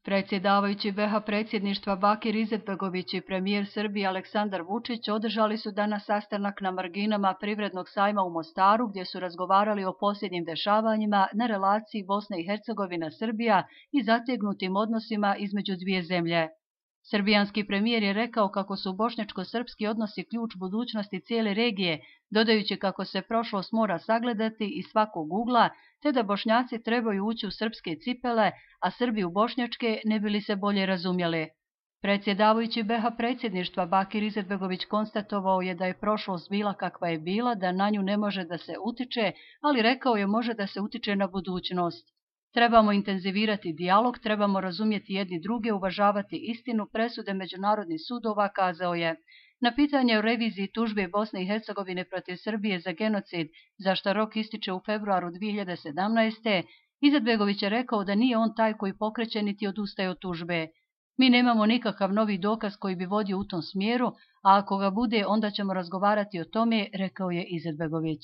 Predsjedavajući BiH predsjedništva Bakir Izetbegović i premijer Srbije Aleksandar Vučić održali su danas sastanak na marginama Privrednog sajma u Mostaru gdje su razgovarali o posljednjim dešavanjima na relaciji Bosne i Hercegovina-Srbija i zategnutim odnosima između dvije zemlje. Srbijanski premijer je rekao kako su bošnjačko-srpski odnosi ključ budućnosti cijele regije, dodajući kako se prošlost mora sagledati iz svakog ugla, te da Bošnjaci trebaju ući u srpske cipele, a Srbi u bošnjačke ne bi li se bolje razumjeli. Predsjedavajući BiH predsjedništva Bakir Izetbegović konstatovao je da je prošlost bila kakva je bila, da na nju ne može da se utiče, ali rekao je može da se utiče na budućnost. Trebamo intenzivirati dijalog, trebamo razumjeti jedni druge, uvažavati istinu, presude međunarodnih sudova, kazao je. Na pitanje o reviziji tužbe Bosne i Hercegovine protiv Srbije za genocid, za što rok ističe u februaru 2017. Izetbegović je rekao da nije on taj koji pokreće niti odustaje od tužbe. Mi nemamo nikakav novi dokaz koji bi vodio u tom smjeru, a ako ga bude, onda ćemo razgovarati o tome, rekao je Izetbegović.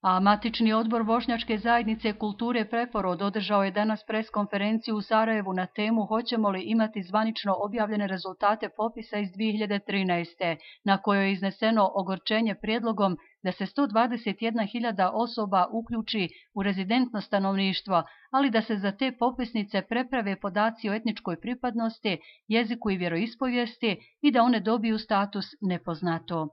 A matični odbor Bošnjačke zajednice kulture Preporod održao je danas preskonferenciju u Sarajevu na temu hoćemo li imati zvanično objavljene rezultate popisa iz 2013. na kojoj je izneseno ogorčenje prijedlogom da se 121.000 osoba uključi u rezidentno stanovništvo, ali da se za te popisnice preprave podaci o etničkoj pripadnosti, jeziku i vjeroispovijesti i da one dobiju status nepoznato.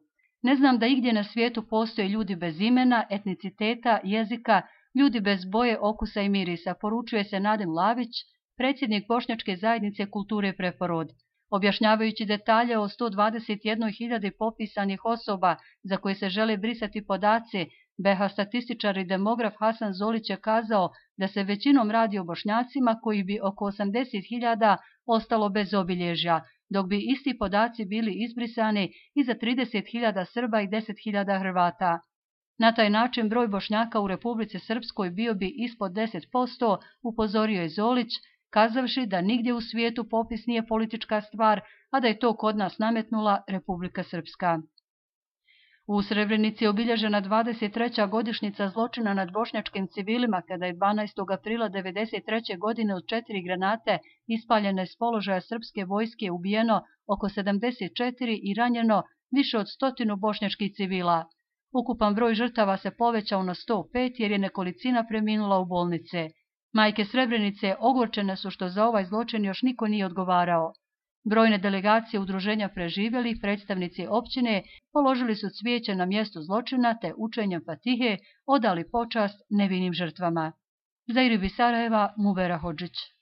Ne znam da igdje na svijetu postoje ljudi bez imena, etniciteta, jezika, ljudi bez boje, okusa i mirisa, poručuje se Nadem Lavić, predsjednik Bošnjačke zajednice kulture Preporod. Objašnjavajući detalje o 121.000 popisanih osoba za koje se žele brisati podaci, BiH statističar i demograf Hasan Zolić je kazao da se većinom radi o Bošnjacima koji bi oko 80.000 ostalo bez obilježja, dok bi isti podaci bili izbrisani i za 30.000 Srba i 10.000 Hrvata. Na taj način broj Bošnjaka u Republici Srpskoj bio bi ispod 10%, upozorio je Zolić, kazavši da nigdje u svijetu popis nije politička stvar, a da je to kod nas nametnula Republika Srpska. U Srebrenici je obilježena 23. godišnjica zločina nad bošnjačkim civilima kada je 12. aprila 1993. godine od 4 granate ispaljene s položaja srpske vojske ubijeno oko 74 i ranjeno više od 100 bošnjačkih civila. Ukupan broj žrtava se povećao na 105 jer je nekolicina preminula u bolnice. Majke Srebrenice ogorčene su što za ovaj zločin još niko nije odgovarao. Brojne delegacije udruženja preživjelih, predstavnici općine, položili su cvijeće na mjestu zločina te učenjem Fatihe odali počast nevinim žrtvama. Za Iribi Sarajeva, Mubera Hodžić.